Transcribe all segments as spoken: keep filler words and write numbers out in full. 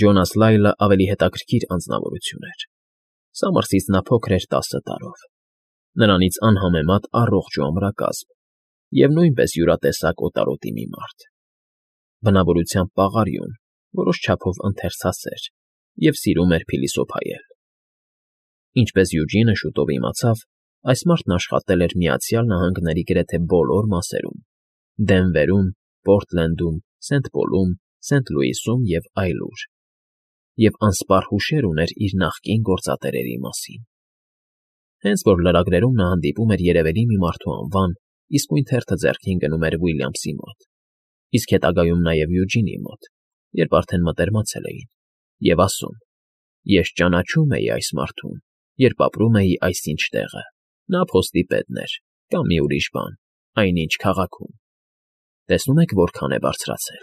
Ջոնաս Լայլը ավելի հետաքրքիր անձնավորություն էր. սամարսից նա փոքր էր տասը տարով, նրանից անհամեմատ առողջ ու ամրակազմ և նույնպես յուրատեսակ օտարոտի մի մարդ, բնավորությամբ պաղարիուն, որոշ չափով ընթերցասեր և սիրում էր փիլիսոփայել։ Ինչպես Յուջինը շուտով իմացավ, այս մարդն աշխատել էր Միացյալ Նահանգների գրեթե բոլոր մասերում՝ Դենվերում, Պորտլենդում, Սենթ Պոլում, Սենթ Լուիսում և այլուր, և անսպառ հուշեր ուներ իր նախկին գործատերերի մասին։ Հենց որ լրագրերում նա հանդիպում էր երևելի մի մարդու անվան, իսկույն թերթը ձեռքին գնում էր Ուիլյամսի մոտ, իսկ հետագայում նաև Յուջինի մոտ, երբ արդեն մտերմացել էին, և ասում. «Ես ճանաչում էի այս մարդուն, երբ ապրում էի այսինչ տեղը, նա փոստի պետն էր, կամ մի ուրիշ բան, այնինչ քաղաքում։ Տեսնում եք որքան է բարձրացել»։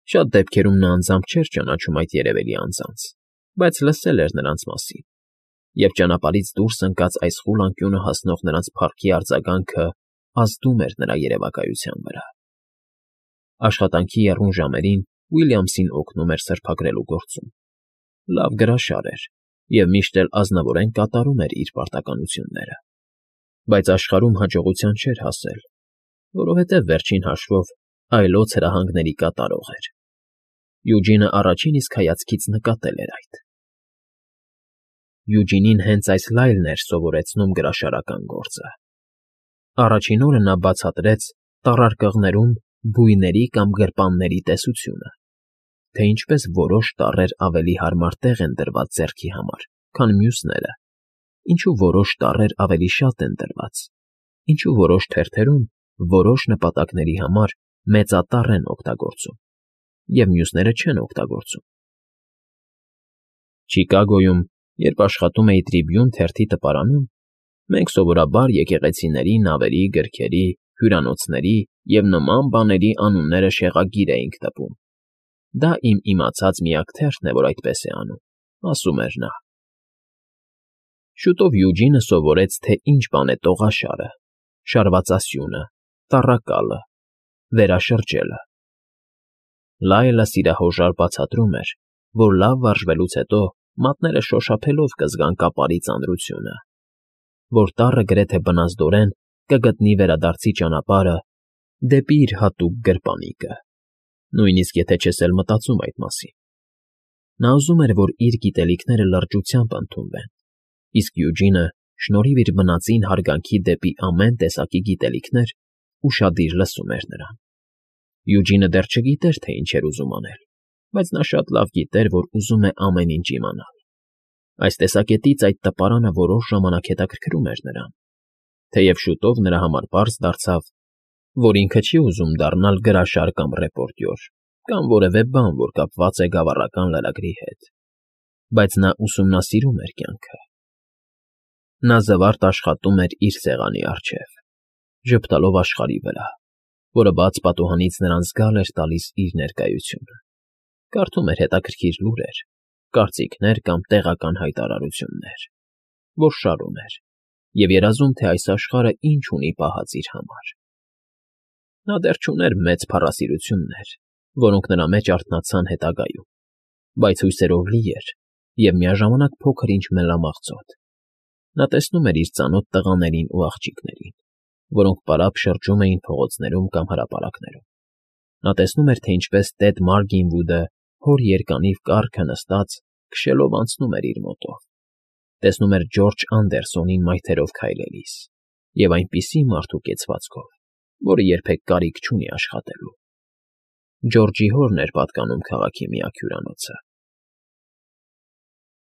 Շատ դեպքերում նա անձամբ չէր ճանաչում այդ երևելի անձանց, բայց լսել էր նրանց մասին, և ճանապարհից դուրս ընկած այս խուլ անկյունը հասնող նրանց փառքի արձագանքը ազդում էր նրա երևակայության վրա։ Աշխատանքի եռուն ժամերին Ուիլյամսին օգնում էր սրբագրելու գործում։ Լավ գրաշար էր և միշտ էլ ազնվորեն կատարում էր իր պարտականությունները, բայց աշխարհում հաջողության չէր հասել, որովհետև վերջին հաշվով այլոց հրահանգների կատարող էր։ Յուջինը առաջին իսկ հայացքից նկատել էր այդ։ Յուջինին հենց այս Լայլն էր սովորեցնում գրաշարական գործը։ Առաջին օրը նա բացատրեց տառարկղներում բույների կամ գրպանների տեսությունը, թե ինչպես որոշ տառեր ավելի հարմար տեղ են դրված ձեռքի համար, քան մյուսները, ինչու որոշ տառեր ավելի շատ են դրված, ինչու որոշ թերթերում որոշ նպատակների համար մեծատառ են օգտագործում, և մյուսները չեն օգտագործում։ Չիկագոյում, երբ աշխատում էի Տրիբյուն թերթի տպարանում, մենք սովորաբար եկեղեցիների, նավերի, գրքերի, հյուրանոցների և նման բաների անունները շեղագիր էինք տպում։ Դա իմ իմացած միակ թերթն է, որ այդպես է անում, ասում էր նա։ Շուտով Յուջինը սովորեց, թե ինչ բան է տողաշարը, շարվածասյունը, տառակալը, վերաշրջելը։ Լայլը սիրահոժար բացատրում էր, որ լավ վարժվելուց հետո մատները շոշափելով կզգան կապարի ծանրությունը, որ տառը գրեթե բնազդորեն կգտնի վերադարձի ճանապարհը դեպի իր հատուկ գրպանիկը, նույնիսկ եթե չես էլ մտածում այդ մասին։ Նա ուզում էր, որ իր գիտելիքները լրջությամբ ընդունվեն, իսկ Յուջինը, շնորհիվ իր բնածին հարգանքի դեպի ամեն տեսակի գիտելիքներ, ուշադիր լսում էր նրան։ Յուջինը դեռ չգիտեր, թե ինչ էր ուզում անել, բայց նա շատ լավ գիտեր, որ ուզում է ամեն ինչ իմանալ։ Այս տեսակետից այդ տպարանը որոշ ժամանակ հետաքրքրում էր նրան, թեև շուտով նրա համար պարզ դարձավ, որ ինքը չի ուզում դառնալ գրաշար կամ ռեպորտյոր, կամ որևէ բան, որ կապված է գավառական լրագրի հետ, բայց նա ուսումնասիրում էր կյանքը։ Նա զվարթ աշխատում էր իր սեղանի առջև, ժպտալով աշխարհի վրա, որը բաց պատուհանից նրան զգալ էր տալիս իր ներկայությունը, կարդում էր հետաքրքիր լուրեր, կարծիքներ կամ տեղական հայտարարություններ, որշառում էր և երազում, թե այս աշխարհը ինչ ունի պահած իր համար։ Նա դեռ չուներ մեծ փառասիրություններ, որոնք նրա մեջ արթնացան հետագայում, բայց հույսերով լի էր և միաժամանակ փոքր-ինչ մելամաղձոտ։ Նա տեսնում էր իր ծանոթ տղաներին ու աղջիկներին, որոնք պարապ շրջում էին փողոցներում կամ հրապարակներում։ Նա տեսնում էր, թե ինչպես տեր Մարգինվուդը հոր երկանիվ կառքը նստած քշելով անցնում էր իր մոտով, տեսնում էր Ջորջ Անդերսոնին մայթերով քայլելիս և այնպիսի մարդու կեցվածքով, որը երբեք կարիք չունի աշխատելու։ Ջորջի հորն էր պատկանում քաղաքի միակ հյուրանոցը։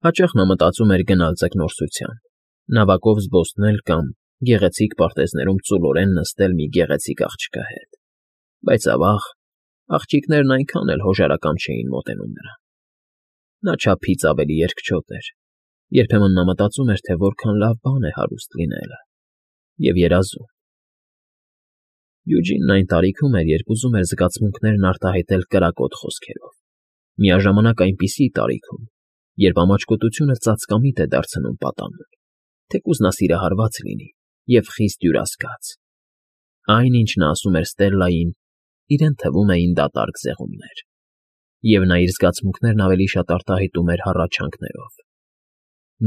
Հաճախ նա մտածում էր գնալ ձկնորսության, նավակով զբոսնել կամ գեղեցիկ պարտեզներում ծուլորեն նստել մի գեղեցիկ աղջկա հետ, բայց, ավաղ, աղջիկներն այնքան էլ հոժարակամ չէին մոտենում նրան։ Նա չափից ավելի երկչոտ էր, երբեմն նա մտածում էր, թե որքան լավ բան է հարուստ լինելը, և երազում։ Յուջինն այն տարիքում էր, երբ ուզում էր զգացմունքներն արտահայտել կրակոտ խոսքերով, միաժամանակ այնպիսի տարիքում, երբ ամաչկոտությունը ծածկամիտ է դարձնում պատանուն, թեկուզ նա սիրահարված լինի և խիստ հյուրասկաց։ Այն, ինչ նա ասում էր Ստելլային, իրեն թվում էին դատարկ զեղումներ։ և նա իր զգացմունքներն ավելի շատ արտահայտում էր հառաչանքներով,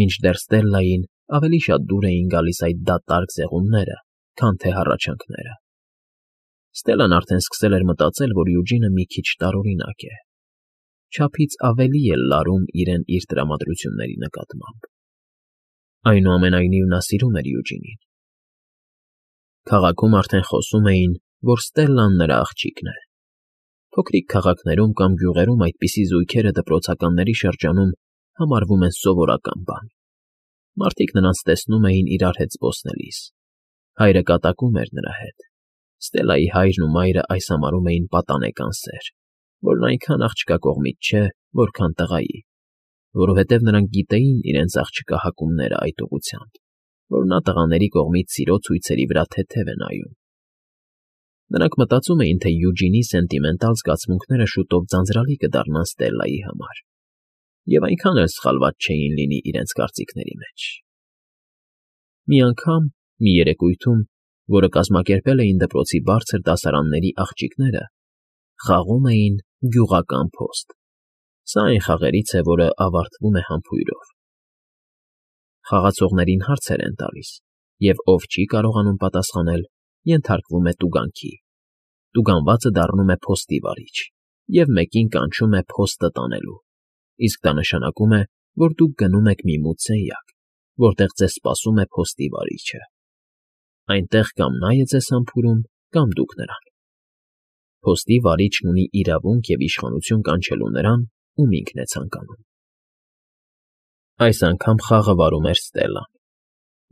մինչդեռ Ստելլային ավելի շատ դուր էին գալիս այդ դատարկ զեղումները, քան թե հառաչանքները։ Ստելլան արդեն սկսել էր մտածել, որ Յուջինը մի քիչ տարօրինակ է, չափից ավելի է լարում իրեն իր տրամադրությունների նկատմամբ։ Այնուամենայնիվ նա սիրում էր Յուջինին։ Քաղաքում արդեն խոսում էին, որ Ստելլան նրա աղջիկն է։ Փոքրիկ քաղաքներում կամ գյուղերում այդպիսի զույգերը դպրոցականների շրջանում համարվում են սովորական բան։ Մարդիկ նրանց տեսնում էին իրար հետ զբոսնելիս։ Հայրը կատակում էր նրա հետ։ Ստելլայի հայրն ու մայրը այս համարում էին պատանեկան սեր, որն այնքան աղջկա կողմից չէ, որքան տղայի, որովհետև նրանք գիտեին իրենց աղջկա հակումները այդ ուղղությամբ, որ նա տղաների կողմից սիրո ցույցերի վրա թեթև է նայում։ Նրանք մտածում էին, թե Յուջինի սենտիմենտալ զգացմունքները շուտով ձանձրալի կդառնան Ստելլայի համար, և այնքան էլ սխալված չէին լինի իրենց կարծիքների մեջ։ Մի անգամ, մի երեկույթում, որը կազմակերպել էին դպրոցի բարձր դասարանների աղջիկները, խաղում էին գյուղական փոստ։ Սա այն խաղերից է, որը ավարտվում է համբույրով։ Խաղացողներին հարցեր են տալիս, և ով չի կարողանում պատասխանել, ենթարկվում է տուգանքի։ Տուգանվածը դառնում է փոստի վարիչ, և մեկին կանչում է փոստը տանելու, իսկ դա նշանակում է, որ դուք գնում եք մի մութ սենյակ, որտեղ ձեզ սպասում է փոստի վարիչը։ Այնտեղ կամ նա է ձեզ համբուրում, կամ դուք նրան։ Փոստի վարիչն ունի իրավունք և իշխանություն կանչելու նրան, ում ինքն է ցանկանում։ Այս անգամ խաղը վարում էր Ստելլան,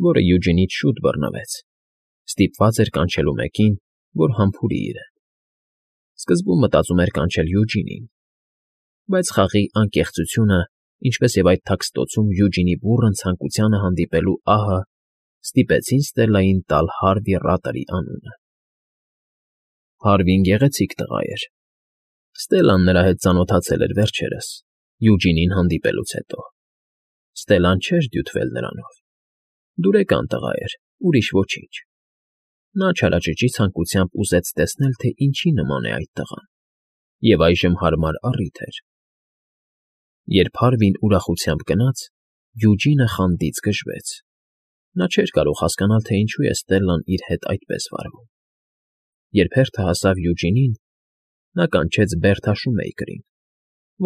որը Յուջինից շուտ բռնվեց, ստիպված էր կանչելու մեկին, որ համբուրի իրեն։ Սկզբում մտածում էր կանչել Յուջինին, բայց խաղի անկեղծությունը, ինչպես և այդ թաքստոցում Յուջինի բուռն ցանկությանը հանդիպելու ահը ստիպեցին Ստելլային տալ Հարվի Ռատլի անունը։ Հարվին գեղեցիկ տղա էր։ Ստելլան նրա հետ ծանոթացել էր վերջերս, Յուջինին հանդիպելուց հետո։ Ստելլան չէր դյութվել նրանով։ Դուրեկան տղա էր, ուրիշ ոչինչ։ Նա չարաճճի ցանկությամբ ուզեց տեսնել, թե ինչի նման է այդ տղան, և այժմ հարմար առիթ էր։ Երբ Հարվին ուրախությամբ գնաց, Յուջինը խանդից գժվեց։ Նա չէր կարող հասկանալ, թե ինչու է Ստելլան իր հետ այդպես վարվում։ Երբ հերթը հասավ Յուջինին, նա կանչեց Բերթա Շումեյքերին,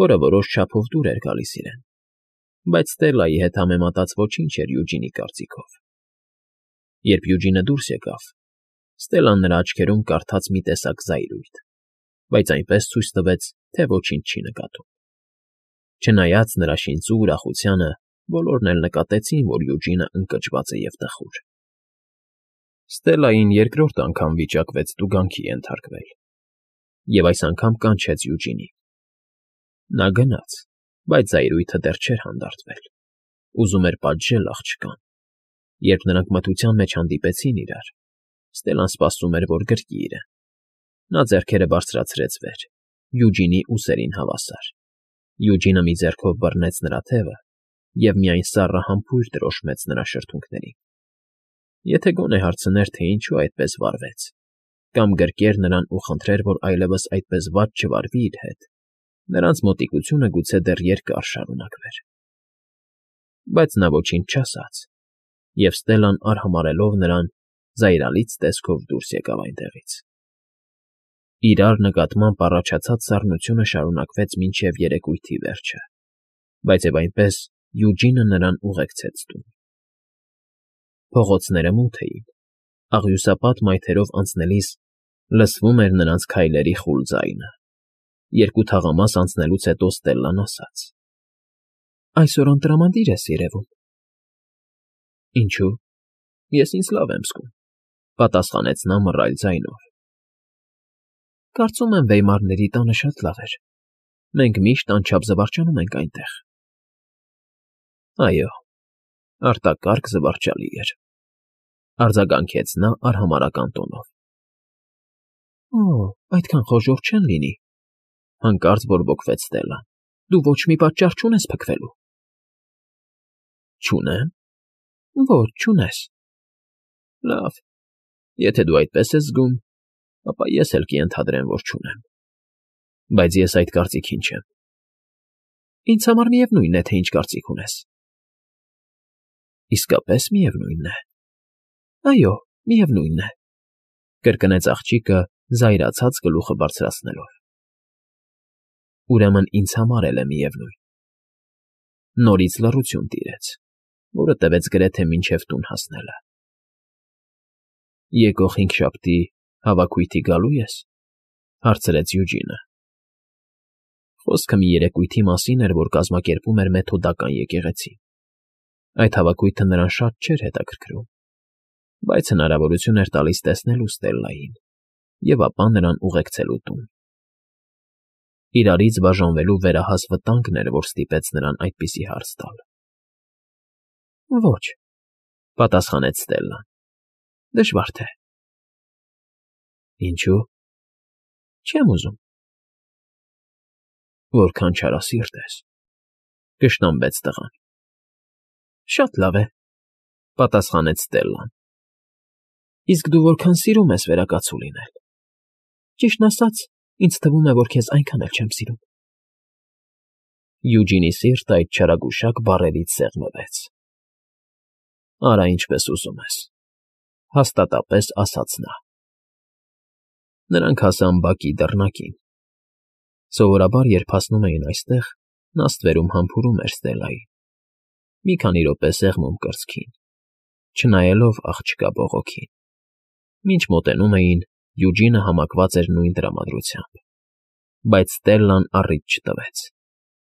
որը որոշ չափով դուր էր գալիս իրեն, բայց Ստելլայի հետ համեմատած ոչինչ էր Յուջինի կարծիքով։ Երբ Յուջինը դուրս եկավ, Ստելլան նրա աչքերում կարդաց մի տեսակ զայրույթ, բայց այնպես ցույց տվեց, թե ոչինչ չի նկատում։ Չնայած նրա շինծու ուրախությանը, բոլորն էլ նկատեցին, որ Յուջինը ընկճված է և տխուր։ Ստելլային երկրորդ անգամ վիճակվեց տուգանքի ենթարկվել, և այս անգամ կանչեց Յուջինին։ Նա գնաց, բայց զայրույթը դեռ չէր հանդարտվել։ Ուզում էր պատժել աղջկան։ Երբ նրանք մթության մեջ հանդիպեցին իրար, Ստելլան սպասում էր, որ գրկի իրեն։ Նա ձեռքերը բարձրացրեց վեր, Յուջինի ուսերին հավասար։ Յուջինը մի ձեռքով բռնեց նրա թևը և միայն սառը համբույր տրոշմեց նրա շրթունքներին։ Եթե գոնե հարցներ, թե ինչու այդպես վարվեց, կամ գրկեր նրան ու խնդրեր, որ այլևս այդպես վատ չվարվի իր հետ, նրանց մոտիկությունը գուցե դեռ երկար շարունակվեր։ Բայց նա ոչինչ չասաց, և Ստելլան արհամարհելով նրան, զայրալից տեսքով դուրս եկավ այնտեղից։ Իրար նկատմամբ առաջացած սառնությունը շարունակվեց մինչև երեկույթի վերջը, բայց և այնպես Յուջինը նրան ուղեկցեց տուն։ Փողոցները մութ էին, աղյուսապատ մայթերով անցնելիս լսվում էր նրանց քայլերի խուլ ձայնը։ Երկու թաղամաս անցնելուց հետո Ստելլան ասաց. «Այսօր անտրամադիր ես երևում»։ Ինչո՞ւ։ Ես ինձ լավ եմ զգում,֊ պատասխանեց նա մռայլ ձայնով։ Կարծում եմ, Վեյմարների տանը շատ լավ էր։ Մենք միշտ անչափ զվարճանում ենք այնտեղ։ Այո, արտակարգ զվարճալի էր,֊ արձագանքեց նա արհամարհական տոնով։ Օ՜, այդքան խոժոռ չեն լինի,֊ հանկարծ բորբոքվեց Ստելլան։ Դու ոչ մի պատճառ չունես փքվելու։ Չունե՞մ։ Ոչ, չունես։ Լավ, եթե դու այդպես ես զգում, ապա ես էլ կենթադրեմ, որ չունեմ։ Բայց ես այդ կարծիքին չեմ։ Ինձ համար միևնույն է, թե ինչ կարծիք ունես։ Իսկապես միևնույն է։ Այո, միևնույն է, կրկնեց աղջիկը, զայրացած գլուխը բարձրացնելով։ Ուրեմն ինձ համար էլ է միևնույն։ Նորից լռություն տիրեց, որը տևեց գրեթե մինչև տուն հասնելը։ Եկող հինգշաբթի հավաքույթի գալու ես, հարցրեց Յուջինը։ Խոսքը մի երեկույթի մասին էր, որ կազմակերպում էր մեթոդական եկեղեցին։ Այդ հավաքույթը նրան շատ չէր հետաքրքրում, բայց հնարավորություն էր տալիս տեսնելու Ստելլային և ապա նրան ուղեկցելու տուն։ Իրարից բաժանվելու վերահաս վտանգն էր, որ ստիպեց նրան այդպիսի հարց տալ։ Ոչ, պատասխանեց Ստելլան, դժվար թե։ Ինչո՞ւ։ Չեմ ուզում։ Որքան չարասիրտ ես, կշտամբեց տղան։ Շատ լավ է, պատասխանեց Ստելլան։ Իսկ դու որքան սիրում ես վերակացու լինել։ Ճիշտն ասած, ինձ թվում է, որ քեզ այնքան էլ չեմ սիրում։ Յուջինի սիրտը այդ չարագուշակ բառերից սեղմվեց։ Արա ինչպես ուզում ես, հաստատապես ասաց նա։ Նրանք հասան բակի դռնակին։ Սովորաբար, երբ հասնում էին այստեղ, նա ստվերում համբուրում էր Ստելլային, մի քանի րոպե սեղմում կրծքին, չնայելով աղջկա բողոքին։ Մինչ մոտենում էին, Յուջինը համակված էր նույն տրամադրությամբ, բայց Ստելլան առիթ չտվեց։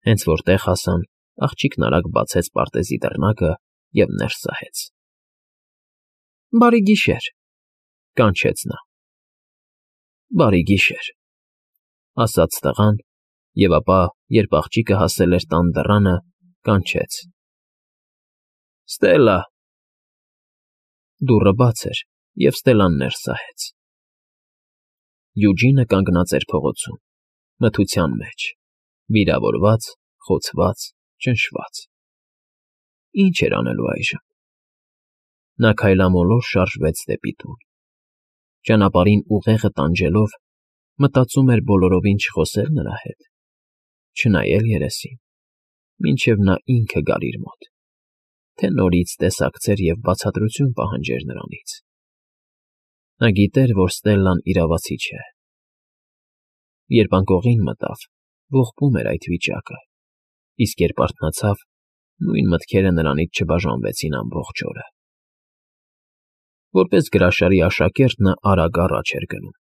Հենց որ տեղ հասան, աղջիկն արագ բացեց պարտեզի դռնակը և ներս սահեց։ Բարի գիշեր, կանչեց նա։ Բարի գիշեր, ասաց տղան, և ապա, երբ աղջիկը հասել էր տան դռանը, կանչեց. Ստելլա։ Դուռը բաց էր, և Ստելլան ներս սահեց։ Յուջինը կանգնած էր փողոցում, մթության մեջ, վիրավորված, խոցված, ճնշված։ Ինչ էր անելու այժմ։ Նա քայլամոլոր շարժվեց դեպի տուն։ Ճանապարհին ուղեղը տանջելով, մտածում էր բոլորովին չխոսել նրա հետ, չնայել երեսին, մինչև նա ինքը գար իր մոտ, թե նորից տեսակցեր և բացատրություն պահանջեր նրանից։ Նա գիտեր, որ Ստելլան իրավացի չէ։ Երբ անկողին մտավ, ողբում էր այդ վիճակը, իսկ երբ արթնացավ, նույն մտքերը նրանից չբաժանվեցին ամբողջ օրը։ Որպես գրաշարի աշակերտ նա արագ առաջ էր գնում,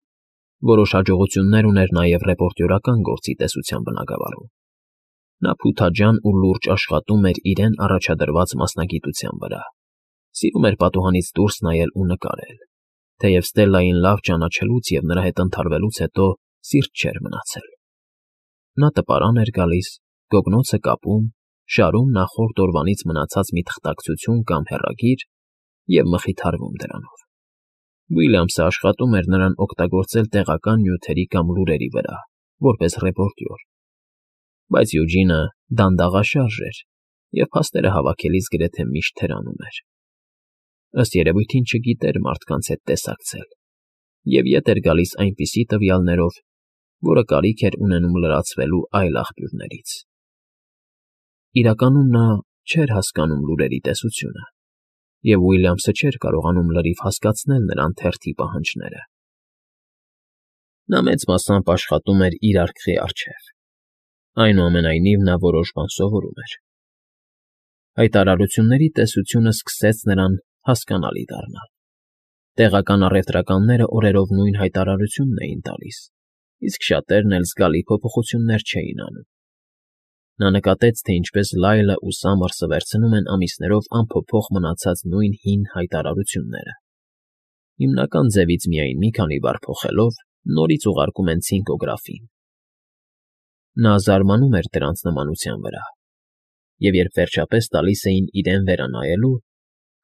որոշ հաջողություններ ուներ նաև ռեպորտյորական գործի տեսության բնագավառում։ Նա փութաջան ու լուրջ աշխատում էր իրեն առաջադրված մասնագիտության վրա, սիրում էր պատուհանից դուրս նայել ու նկարել, թեև Ստելլային լավ ճանաչելուց և նրա հետ ընդհարվելուց հետո սիրտ չէր մնացել։ Նա տպարան էր գալիս, գոգնոցը կապում, շարում նախորդ օրվանից մնացած մի թղթակցություն կամ հեռագիր և մխիթարվում դրանով։ Ուիլյամսը աշխատում էր նրան օգտագործել տեղական նյութերի կամ լուրերի վրա, որպես ռեպորտյոր, բայց Յուջինը դանդաղաշարժ էր և փաստերը հավաքելիս գրեթե միշտ թերանում էր։ Ըստ երևույթին չգիտեր մարդկանց հետ տեսակցել և ետ էր գալիս այնպիսի տվյալներով, որը կարիք էր ունենում լրացվելու այլ աղբյուրներից։ Իրականում նա չէր հասկանում լուրերի տեսությունը, և Ուիլյամսը չէր կարողանում լրիվ հասկացնել նրան թերթի պահանջները։ Նա մեծ մասամբ աշխատում էր իր արկղի առջև, այնուամենայնիվ նա որոշ բան սովորում էր։ Հայտարարությունների տեսությունը սկսեց նրան հասկանալի դառնալ։ Տեղական առևտրականները օրերով նույն հայտարարությունն էին տալիս, իսկ շատերն էլ զգալի փոփոխություններ չէին անում։ Նա նկատեց, թե ինչպես Լայլը ու Սամմերսը վերցնում են ամիսներով անփոփոխ մնացած նույն հին հայտարարությունները, հիմնական ձևից միայն մի քանի բառ փոխելով, նորից ուղարկում են ցինկոգրաֆին։ Նա զարմանում էր դրանց նմանության վրա, և երբ վերջապես տալիս էին իրեն վերանայելու,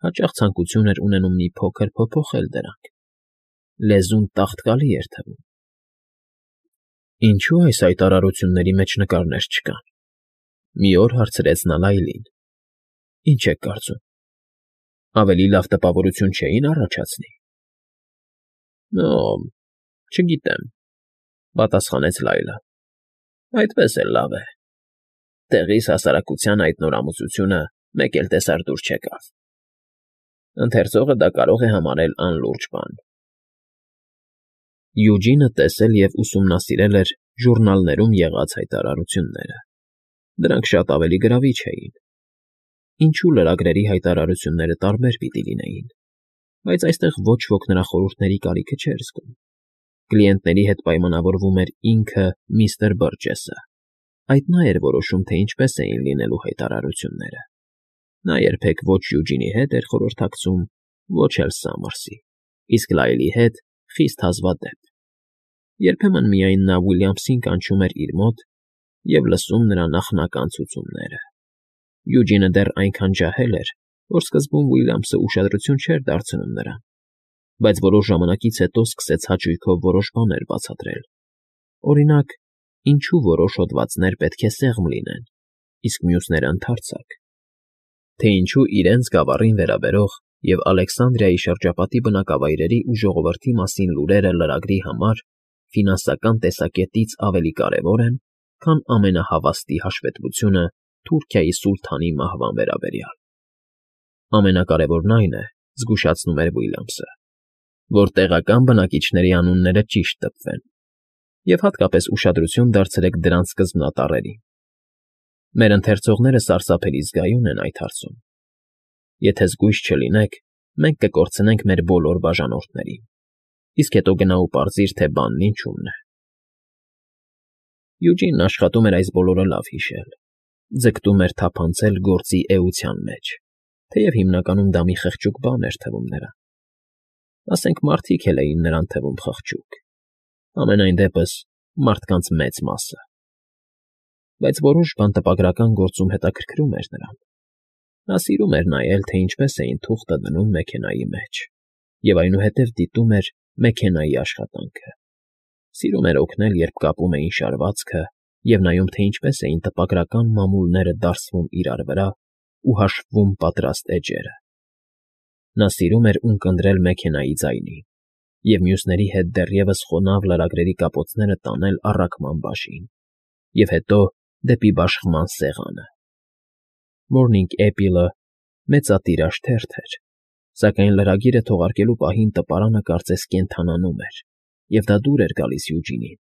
հաճախ ցանկություն էր ունենում մի փոքր փոփոխել դրանք։ Լեզուն տաղտկալի էր թվում։ Ինչո՞ւ այս հայտարարությունների մեջ նկարներ չկան։ Մի օր հարցրեց նա Լայլին։ Ինչ եք կարծում, ավելի լավ տպավորություն չէին առաջացնի։ Օ, չգիտեմ, պատասխանեց Լայլը։ Այդպես էլ լավ է։ Տեղիս հասարակության այդ նոր ամուսությունը մեկ էլ տեսար դուր չեկավ։ Ընթերցողը դա կարող է համարել անլուրջ բան։ Յուջինը տեսել և ուսումնասիրել էր ժուռնալներում եղած հայտարարությունները։ Դրանք շատ ավելի գրավիչ էին։ Ինչու լրագրերի հայտարարությունները տարբեր պիտի լինեին, բայց այստեղ ոչ ոք նրա խորհուրդների կարիքը չէր զգում։ Կլիենտների հետ պայմանավորվում էր ինքը միստր Բըրջեսը։ Այդ նա էր որոշում, թե ինչպես էին լինելու հայտարարությունները։ Նա երբեք ոչ Յուջինի հետ էր խորհրդակցում, ոչ էլ Սամմերսի, իսկ Լայլի հետ խիստ հազվադեպ։ Երբեմն միայն նա Ուիլյամսին կանչում էր իր մոտ և լսում նրա նախնական ցուցումները։ Յուջինը դեռ այնքան ջահել էր, որ սկզբում Ուիլյամսը ուշադրություն չէր դարձնում նրան, բայց որոշ ժամանակից հետո սկսեց հաճույքով որոշ բաներ բացատրել։ Օրինակ, ինչու որոշ հոդվածներ պետք է սեղմ լինեն, իսկ մյուսները ընդարձակ, թե ինչու իրենց գավառին վերաբերող և Ալեքսանդրիայի շրջապատի բնակավայրերի ու ժողովրդի մասին լուրերը լրագրի համար ֆինանսական տեսակետից ավելի կարևոր են, քան ամենահավաստի հաշվետվությունը Թուրքիայի սուլթանի մահվան վերաբերյալ։ Ամենակարևորն այն է, զգուշացնում էր Ուիլյամսը, որ տեղական բնակիչների անունները ճիշտ տպվեն, և հատկապես ուշադրություն դարձրեք դրանց սկզբնատառերին։ Մեր ընթերցողները սարսափելի զգայուն են այդ հարցում։ Եթե զգույշ չլինեք, մենք կկորցնենք մեր բոլոր բաժանորդներին, իսկ հետո գնա ու պարզիր, թե բանն ինչումն է։ Յուջինն աշխատում էր այս բոլորը լավ հիշել, ձգտում էր թափանցել գործի էության մեջ, թեև հիմնականում դա մի խղճուկ բան էր թվում նրան։ Ասենք մարդիկ էլ էին նրան թվում խղճուկ, համենայն դեպս մարդկանց մեծ մասը։ Բայց որոշ բան տպագրական գործում հետաքրքրում էր նրան։ Նա սիրում էր նայել, թե ինչպես էին թուղթը դնում մեքենայի մեջ, և այնուհետև դիտում էր մեքենայի աշխատանքը։ Սիրում էր օգնել, երբ կապում էին շարվածքը, և նայում, թե ինչպես էին տպագրական մամուլները դարսվում իրար վրա ու հաշվվում պատրաստ էջերը։ Նա սիրում էր ունկնդրել մեքենայի ձայնին և մյուսների հետ դեռևս խոնավ լրագրերի կապոցները տանել առաքման բաժին և հետո դեպի բաշխման սեղանը։ Morning Apple-ը մեծատիրաժ թերթ էր, սակայն լրագիրը թողարկելու պահին տպարանը կարծես կենդանանում էր, և դա դուր էր գալիս Յուջինին։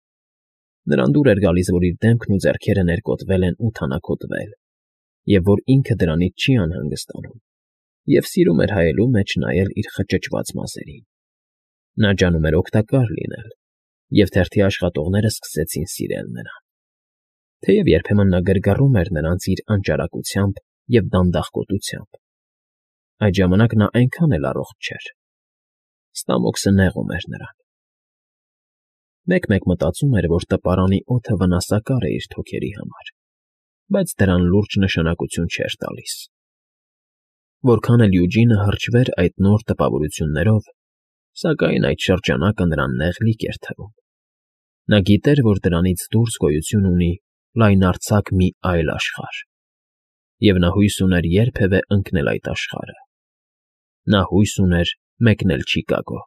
Նրան դուր էր գալիս, որ իր դեմքն ու ձեռքերը ներկոտրվել են ու թանաքոտվել, և որ ինքը դրանից չի անհանգստանում, և սիրում էր հայելու մեջ նայել իր խճճված մազերին։ Նա ջանում էր օգտակար լինել, և թերթի աշխատողները սկսեցին սիրել նրան, թեև երբեմն նա գրգռում էր նրանց իր անճարակությամբ և դանդաղկոտությամբ։ Այդ ժամանակ նա այնքան էլ առողջ չէր։ Ստամոքսը նեղում էր նրան։ Մեկ֊մեկ մտածում էր, որ տպարանի օդը վնասակար է իր թոքերի համար, բայց դրան լուրջ նշանակություն չէր տալիս։ Որքան էլ Յուջինը հրճվեր այդ նոր տպավորություններով, սակայն այդ շրջանակը նրան նեղլիկ էր թվում։ Նա գիտեր, որ դրանից դուրս գոյություն ունի լայնարձակ մի այլ աշխարհ, և նա հույս ուներ երբևէ ընկնել այդ աշխարհը։ Նա հույս ուներ մեկնել Չիկագո։